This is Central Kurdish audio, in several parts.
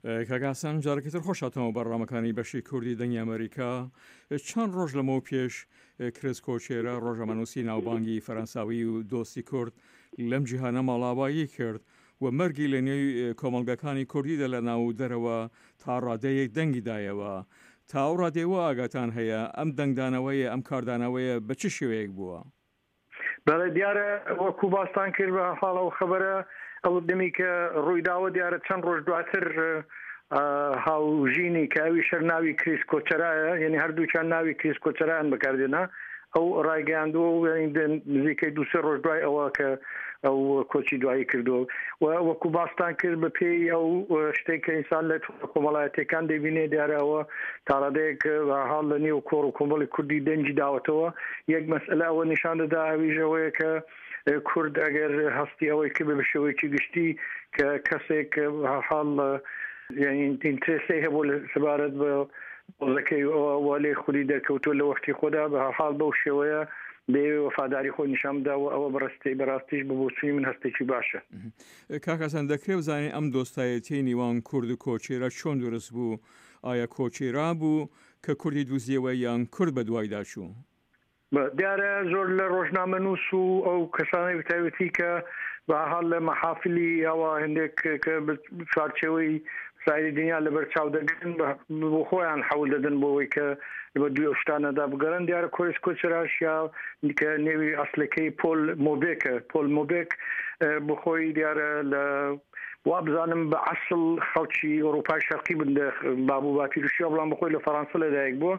کاک حەسەن جارێکی تر خۆش هاتنەوە بەرنامەکانی بەشی کوردی دەنگی ئەمریکا. چەند ڕۆژ لەمەو پێش کریس کۆچێرا ڕۆژنامەنووسی ناوبانگی فەرەنساوی و دۆستی کورد لەم جیهانە ماڵاوایی کرد و مەرگی لە نێو کۆمەڵگەکانی کوردیدا لە ناو و دەرەوە تا ڕادەیەک دەنگی دایەوە. تا ئەو ڕادەیە وا ئاگاتان هەیە ئەم دەنگدانەوەیە ئەم کاردانەوەیە بە چ شێوەیەک بووە؟ بەڵێ دیارە وەکو باستان کرد بە حاڵ ئەو خەبەرە ئەو دەمی کە ڕوویداوە دیارە چەند ڕۆژ دواتر هاوژینی کە ئەوی شەر ناوی کریس کۆچەرایە یعنی هەردووکیان ناوی کریس کۆچەرایان بەکاردێنا ئەو ڕایگەیاندووە و نزیکەی دووسێ ڕۆژ دوای ئەوە کە ئەو کۆچی دوایی کردو و وەکو باستان کرد بە پێی ئەو شتێک کە ئینسان لە کۆمەڵایەتەکان دەبینێ دیارە ئەوە تاڕادەیەک حاڵ لە نێو کۆڕ و کۆمەڵی کوردی دەنگی داوەتەوە یەک مەسئلە ئەوە نیشان دەدا ئەویش ئەوەیە کە کورد ئەگەر هەستی ئەوەی کرد بە شێوەیەکی گشتی کە کەسێک حاڵ یعنی ئینترێسی هەبوو لە سەبارەت بە دۆزەکەی ئەوە لێ خودی دەرکەوتووە لە وەختی خۆدا بە حاڵ بەو شێوەیە دەیەوێ وەفاداری خۆی نیشان بدا و ئەوە بەڕاستی بەڕاستیش بە بۆچوونی من هەستێکی باشە. کاک حەسەن دەکرێ بزانین ئەم دۆستایەتیەی نیوان کورد و کۆچێرا چۆن دروست بوو؟ ئایا کۆچێرا بوو کە کوردی دوزیەوە یان کورد بە دوایدا چوو؟ دیارە زۆر لە ڕۆژنامەنووس و ئەو کەسانەی بەتایبەتی کە بە هەرحاڵ لە مەحافلی ئەوە هەندێک کە چوارچێوەی سایری دنیا لەبەر چاو دەگرن بۆ خۆیان حەول دەدەن بۆ ئەوەی کە بە دوی ئەو شتانەدا بگەڕن دیارە کۆریس کۆچراش یا کە نێوی ئەسلەکەی پۆل مۆبێکە پۆل مۆبێک بۆ خۆی دیارە لە وابزانم بە عەسڵ خەڵکی ئۆروپای شەرقی بن لە باب و باپیرشیەوە بەڵام بەخۆی لە فەڕانسە لەدایک بووە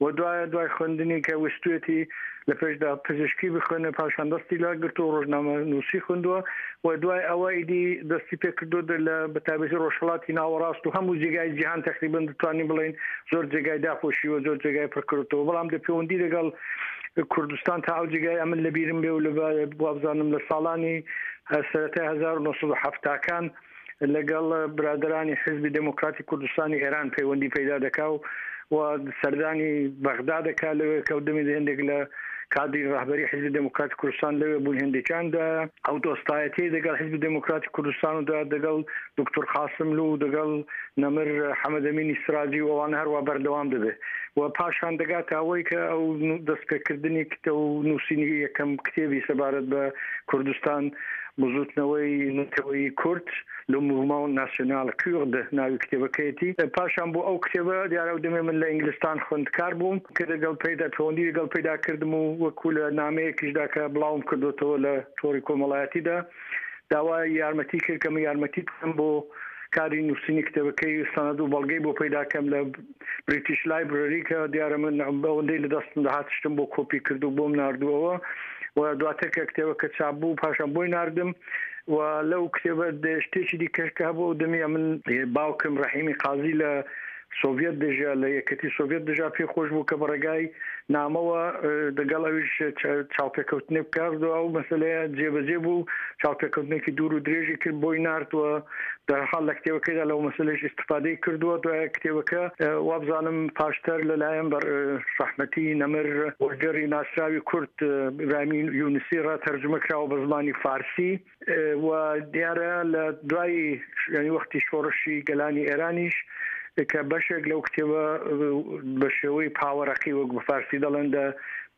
و دوای دوای خوێندنی کە ویستویەتی لە پێشدا پزیشکی بخوێنێ پاشان دەستی لا گرتووە ڕۆژنامە نووسی خوێندووە و دوای ئەوە ئیدی دەستی پێ کردو لە بەتایبەتی ڕۆژهەڵاتی ناوەڕاست و هەموو جێگای جیهان تەقریبەن دەتوانین بڵێین زۆر جێگای داپۆشیوە زۆر جێگای پڕ کردووە بەڵام لە پەیوەندی لەگەڵ کوردستان تا ئەو جێگای ئەمن لەبیرم بێ و لە وابزانم لە ساڵانی سەرەتای 1970 کان لەگەڵ برادەرانی حیزبی دێموکراتی کوردستانی ئێران پەیوەندی پەیدا دەکا و و سەردانی بەغدا دەکا لەوێ کە دەمی هێندێک لە کادری ڕەهبەری حیزبی دێموکراتی کوردستان لەوێ بوون هێندێکیان دا ئەو دۆستایەتیەی دەگەڵ حیزبی دێموکراتی کوردستان و دا دەگەڵ دوکتور قاسملوو و دەگەڵ نەمر حەمەدەمینی سراجی و ئەوانە هەروا بەردەوام دەبێ و پاشان دەگاتە ئەوەی کە ئەو دەستپێکردنی کتە و نووسینی یەکەم کتێبی سەبارەت بە کوردستان بزووتنەوەی نەتەوەیی کورد، Le Mouvement National Kurde، ناوی کتێبەکەیەتی. پاشان بۆ ئەو کتێبە دیارە ئەو دەمێ من لە ئینگلستان خوێندکار بووم کە دەگەڵ پەیدا پەیوەندی لەگەڵ پەیدا کردم و وەکوو لە نامەیەکیشدا کە بڵاوم کردۆتەوە لە تۆڕی کۆمەڵایەتیدا داوای یارمەتی کرد کە من یارمەتی بکەم بۆ کاری نووسینی کتێبەکەی سەنەد و بەڵگەی بۆ پەیدا کەم لە بریتیش لایبرەری کە دیارە من ئەوەندەی لە دەستم دەهات شتم بۆ کۆپی کرد و بۆم ناردووەوە و دواتر کە کتێبەکە چاپ بوو پاشان بۆی ناردم و لەو کتێبە شتێکی دیکەش کە هەبوو ئەو دەمی ئەمن باوکم ڕەحیمی قازی لە سۆڤیەت دەژیا لە یەکەتی سۆڤیەت دەژا پێی خۆش بوو کە بە ڕێگای نامەوە دەگەڵ ئەویش چاوپێکەوتنێک بکات و ئەو مەسەلەیە جێبەجێ بوو چاوپێکەوتنێکی دوور و درێژی کرد بۆی نارد و دەرحاڵ لە کتێبەکەیدا لەو مەسەلەیش ئیستفادەی کردووە دوای کتێبەکە وابزانم پاشتر لەلایەن بە ڕەحمەتی نەمر وەرگێڕی ناسراوی کورد ئیبراهیمی یونسی ڕا تەرجومە کراوە بە زمانی فارسی و دیارە لە دوای یعنی وەختی شۆڕشی گەلانی ئێرانیش کە بەشێک لەو کتێبە بە شێوەی پاوەرەقی وەک بە فارسی دەڵێن دە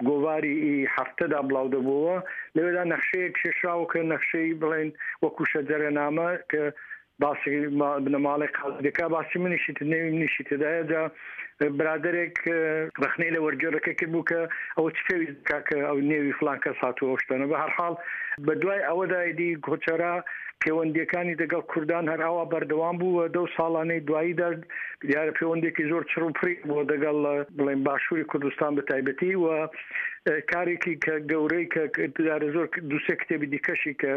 گۆڤاری ئی هەفتەدا بڵاو دەبووەوە، لەوێدا نەخشەیەک کێشراوە کە نەخشەی بڵێین وەکوو شەجەرەنامە کە باسی بنەماڵەی قازی دەکا باسی منیشی نێوی منیشی تێدایە جا برادەرێک ڕەخنەی لە وەرگێڕەکە کرد بوو کە ئەوە چ پێویست دەکا کە ئەو نێوی فڵان کەس هاتووە ئەو شتانە بە هەرحاڵ بە دوای ئەوەدا ئیدی کۆچەرا پێوەندییەکانی دەگەڵ کوردان هەر ئاوا بەردەوام بوو و دەو ساڵانەی دواییدا دیارە پێوەندێکی زۆر چڕ و پڕی بووە دەگەڵ بڵێن باشووری کوردستان بە تایبەتی و کارێکی کە گەورەی کە دیارە زۆر دووسێ کتێبی دیکەشی کە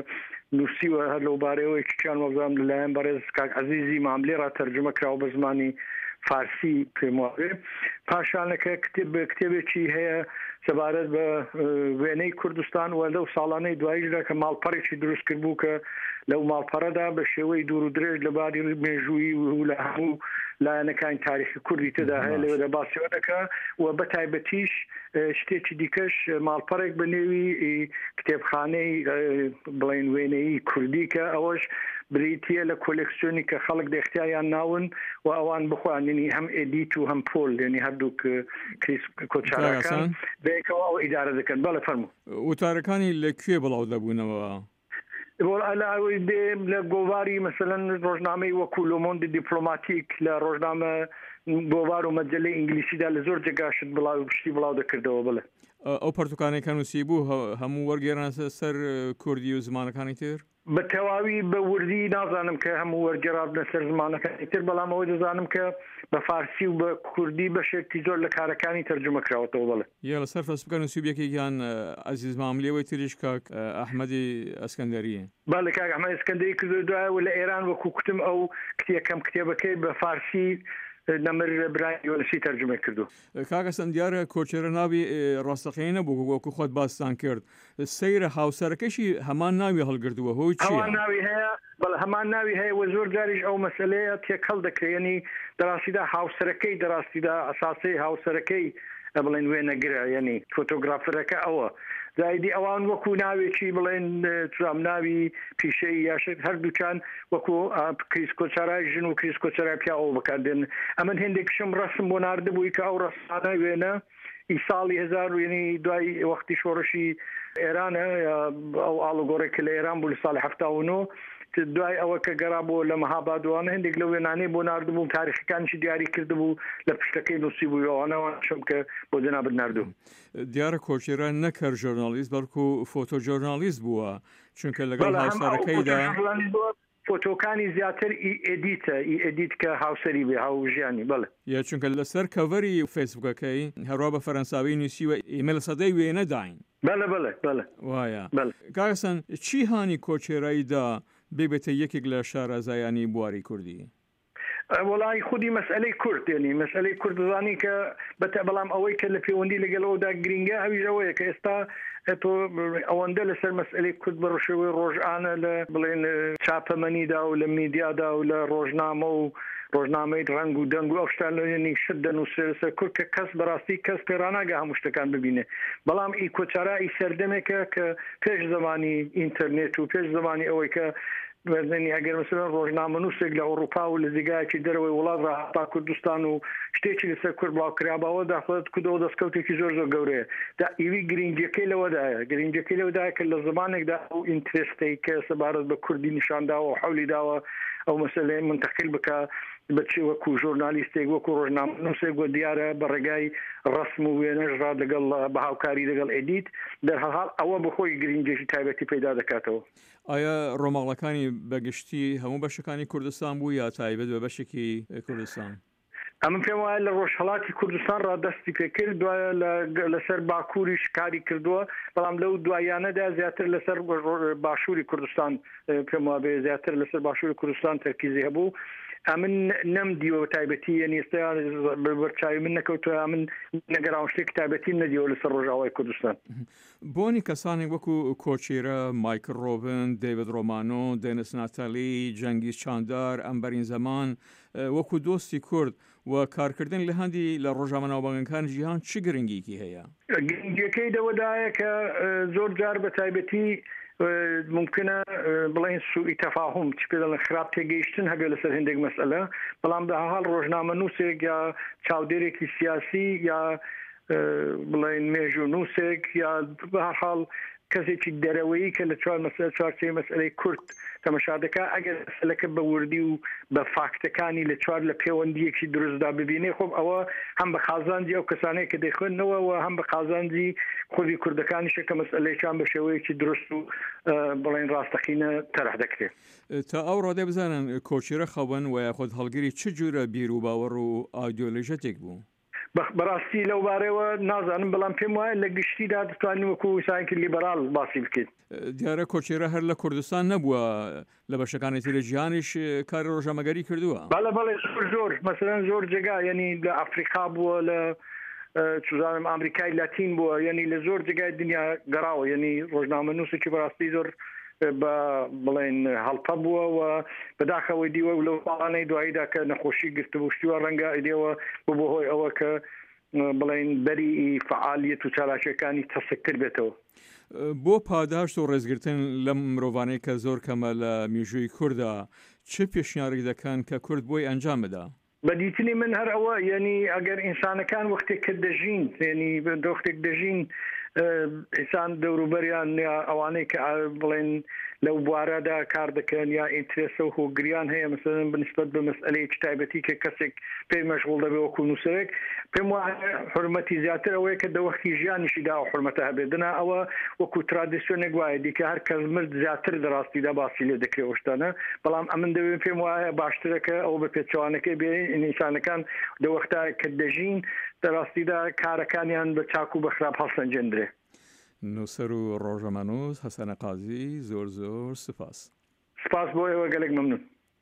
نووسیوە هەر لەو بارەیەوە یەکێکیان وەبزانم لەلایەن بەڕێز کاک عەزیزی ماملێ ڕا تەرجومە کراوە بە زمانی فارسی پێم وابێ پاشانەکە کتێب کتێبێکی هەیە سەبارەت بە وێنەی کوردستان و لەو ساڵانەی دواییشدا کە ماڵپەڕێکی دروست کردبوو کە لەو ماڵپەڕەدا بە شێوەی دوور و درێژ لە باری مێژوویی و لە هەموو لایەنەکانی تاریخی کوردی تێدا هەیە باش. لەوێدا باسی ئەوە دەکا و بە تایبەتیش شتێکی دیکەش ماڵپەڕێک بە نێوی کتێبخانەی بڵێن وێنەیی کوردی کە ئەوەش بریتییە لە کۆلێکسیۆنی کە خەڵک دە ئیختیاریان ناون و ئەوان بخۆیان یەنی هەم ئێدیت و هەم پۆل یەنی هەردووک کریس کۆچاراکان بەیەکەوە ئەو ئیدارە دەکەن. بەڵێ فەرموو. وتارەکانی لە کوێ بڵاو دەبوونەوە؟ لە گۆڤاری مەسەلەن ڕۆژنامەی وەکو لۆمۆندی دیپلۆماتیک لە ڕۆژنامە گۆڤار و مەجەلەی ئینگلیسیدا لە زۆر جێگا شت بڵاو شتی بڵاو دەکردەوە بڵێ. ئەو پەرتوکانەی کە نووسیبوو هەموو وەرگێرانە سەر کوردی و زمانەکانی تر؟ بە تەواوی بە وردی نازانم کە هەموو وەرگێڕابنە سەر زمانەکانی تر، بەڵام ئەوە دەزانم کە بە فارسی و بە کوردی بەشێکی زۆر لە کارەکانی تەرجومە کراوەتەوە بەڵێ. یە لەسەر فەسبوکە نووسیبوو یەکێکیان عەزیز ماملێ وەی تریش کاک ئەحمەدی ئەسکەندەری. بەڵێ کاک ئەحمەد ئەسکەندەری کردووە دوایە و لە ئێران وەکوو کوتم ئەو یەکەم کتێبەکەی بە فارسی نەمر برایم یۆنسی تەرجومەی کردووە. کاک ئەسەن دیارە کۆچێرە ناوی ڕاستەقینەی نەبوو وەکوو خۆت باستان کرد سەیرە هاوسەرەکەشی هەمان ناوی هەڵگرتووە هۆی چییە؟ هەمان ناوی هەیە بەڵێ هەمان ناوی هەیە و زۆر جاریش ئەو مەسەلەیە تێکەڵ دەکرێ یەنی دەڕاستیدا هاوسەرەکەی دەڕاستیدا ئەساسەی هاوسەرەکەی بڵێن وێنەگرە یەنی فۆتۆگرافەرەکە ئەوە جا ئیدی ئەوان وەکو ناوێکی بڵێن چزام ناوی پیشەیی یا شت هەردووکیان وەکو کریس کۆچارای ژن و کریس کۆچارای پیاو ئەوە بەکار دێنن ئەمن هێندێکشم ڕەسم بۆ ناردبووی کە ئەو ڕەسمانە وێنە ئی ساڵی هزار و یەنی دوای وەختی شۆڕشی ئێرانە ئەو ئاڵوگۆڕێک کە لە ئێران بوو لە ساڵی 79 دوای ئەوە کە گەڕابووە لە مەهاباد وانە هەندێک لەو وێنانەی بۆ ناردبووم تاریخەکانیشی دیاری کردبوو لە پشتەکەی نووسی بوو ئەوانەوانشم کە بۆ جەنابت ناردوو. دیارە کۆچێرا نەک هەر ژۆرناڵیست بەڵکو فۆتۆ ژۆرناڵیست بووە چونکە لەگەڵ هاوسەرەکەیدا فۆتۆکانی زیاتر ئی ئێدیتە ئی ئێدیت کە هاوسەری بێ هاوژیانی بەڵێ. یە چونکە لەسەر کەڤەری فەیسبوکەکەی هەروا بە فەرەنساوی نوسیوە ئێمە لە سەدەی وێنەداین. بەڵێ بەڵێ بەڵێ وایە بەڵێ. کاک حەسەن چی هانی کۆچێرای دا ببێتە یەکێک لە شارەزایانی بواری کوردی؟ وەڵای خودی مەسئەلەی کورد یەنی مەسئەلەی کورد دەزانی کە بەتە بەڵام ئەوەی کە لە پەیوەندی لەگەڵ ئەودا گرینگە ئەویش ئەوەیە کە ئێستا تۆ ئەوەندە لەسەر مەسئەلەی کورد بە ڕشێوەی ڕۆژانە لە بڵێن چاپەمەنیدا و لە میدیادا و لە ڕۆژنامە و ڕۆژنامەی ڕەنگ و دەنگ و ئەو شتان لەنی شت دەنووسرێ لەسەر کورد کە کەس بەڕاستی کەس پێڕاناگە هەموو شتەکان ببینێ بەڵام ئی کۆچارا ئی سەردەمێکە کە پێش زمانی ئینتەرنێت و پێش زمانی ئەوەی کە بەزنی ئەگەر مەسەلەن ڕۆژنامەنووسێک لە ئەوڕوپا و لە جێگایەکی دەرەوەی وڵات ڕاهاتبا کوردستان و شتێکی لەسەر کورد بڵاو کراباوە داخۆ کودەوە دەستکەوتێکی زۆر زۆر گەورەیە دا ئیوی گرینگیەکەی لەوەدایە گرینگیەکەی لەوەدایە کە لە زمانێکدا ئەو ئینترستەی کە سەبارەت بە کوردی نیشان داوە و حەولی داوە ئەو مەسەلەیە مونتەقیل بکا بە چ وەکوو ژۆرنالیستێک وەکوو ڕۆژنامەنووسێک و دیارە بە ڕێگای ڕەسم و وێنەش ڕا لەگەڵ بە هاوکاری لەگەڵ ئێدیت دەرهەڵحاڵ ئەوە بەخۆی گرینگیەکی تایبەتی پەیدا دەکاتەوە. ئایا ڕۆماڵەکانی بە گشتی هەموو بەشەکانی کوردستان بوو یا تایبەت بە بەشێکی کوردستان؟ ئەمن پێم وایە لە ڕۆژهەڵاتی کوردستان ڕا دەستی پێ کرد، دوایە لەسەر باکووریش کاری کردووە، بەڵام لەو دواییانەدا زیاتر لەسەر باشووری کوردستان پێم وابێ زیاتر لەسەر باشووری کوردستان تەرکیزی هەبوو. ئەمن نەم دیوە بە تایبەتی یەنی ئێستا بەرچاوی من نەکەوتووە، ئەمن نەگەڕاوم شتێکی تایبەتیم نەدیوە لەسەر ڕۆژاوای کوردستان. بۆنی کەسانێک وەکو کۆچیرە، مایکل ڕۆبن، دەیڤد ڕۆمانۆ، دێنس ناتالی، جەنگیز چاندار، ئەمبەرین زەمان وەکو دۆستی کورد و کارکردن لە هەندی لە ڕۆژنامە ناوبانگەکانی جیهان چ گرنگیکی هەیە؟ گرنگیەکەی لەوەدایە کە زۆر جار بە تایبەتی مومکنە بڵێین سوئی تەفاهوم چ پێ دەڵێن خراپ تێگەیشتن هەبێ لەسەر هەندێک مەسئلە، بەڵام بە هەرحاڵ ڕۆژنامەنووسێک یا چاودێرێکی سیاسی یا بڵێین مێژوونووسێک یا بە هەر حاڵ کەسێکی دەرەوەیی کە لە چوار مەسئلە چوارچێوەی مەسئلەی کورد تەمەشا دەکا ئەگەر مەسئلەکە بە وردی و بە فاکتەکانی لە چوار لە پێوەندییەکی دروستدا ببینێ خۆ ئەوە هەم بە قازانجی ئەو کەسانەیە کە دەیخوێندنەوە و هەم بە قازانجی خودی کوردەکانیشە کە مەسئلەیەکان بە شێوەیەکی دروست و بڵێین ڕاستەقینە تەرح دەکرێ. تا ئەو ڕادەیە بزانن کۆچیرە خەون و یاخود هەڵگری چ جورە بیروباوەڕ و ئایدیۆلۆژیەتێک بوو؟ بەڕاستی لەو بارەوە نازانم، بەڵام پێم وایە لە گشتیدا دەتوانین وەکو ئینسانێکی لیبەراڵ باسی بکەین. دیارە کۆچێرە هەر لە کوردستان نەبووە، لە بەشەکانی تری جیهانیش کاری ڕۆژنامەگەری کردووە. بەڵێ بەڵێ زۆر زۆر، مەسەلەن زۆر جێگا، یەنی لە ئەفریقا بووە، لە چوزانم ئامریکای لاتین بووە، یەنی لە زۆر جێگای دنیا گەڕاوە، یەنی ڕۆژنامەنووسێکی بەڕاستی زۆر بە بڵێن هەڵپە بووە و بەداخەوەی دیوە و لەو ساڵانەی دواییدا کە نەخۆشی گرتبوو شتی وا ڕەنگە ئیدێوە ببووە هۆی ئەوە کە بڵێن بەری فەعالیەت و چالاکیەکانی تەسکتر بێتەوە. بۆ پاداشت و ڕێزگرتن لەم مرۆڤانەی کە زۆر کەمە لە میژووی کوردا چ پێشنیارێک دەکەن کە کورد بۆی ئەنجام بدا؟ بە دیتنی من هەر ئەوە یەنی ئەگەر ئینسانەکان وەختێک کە دەژین یەنی وەختێک دەژین ئینسان دەوروبەریان یا ئەوانەی کە بڵێن لەو بوارەدا کار دەکەن یا ئینترێسە و هۆگریان هەیە مثلەن بنسبەت بە مەسئلەیەکی تایبەتی کە کەسێک پێی مەشغوڵ دەبێ وەکو نووسەرێک پێم وایە حورمەتی زیاتر ئەوەیە کە دەوەختی ژیانیشیدا ئەو حورمەتە هەبێت دەنا ئەوە وەکو ترادیسیۆنێک وایە دیکە هەر کەس مرد زیاتر دەڕاستیدا باسی لێ دەکرێ ئەو شتانە بەڵام ئەمن دەوێ پێم وایە باشترە کە ئەوە بە پێچەوانەکەی بێ ئینسانەکان دەوەختا کە دەژین دەڕاستیدا کارەکانیان بە چاک و بە خراپ هەڵسەنگێندرێ. نووسەر و ڕۆژنامەنووس حەسەنە قازی زۆر زۆر سوپاس. سپاس بۆ ئێوە گەلێک مەمنون.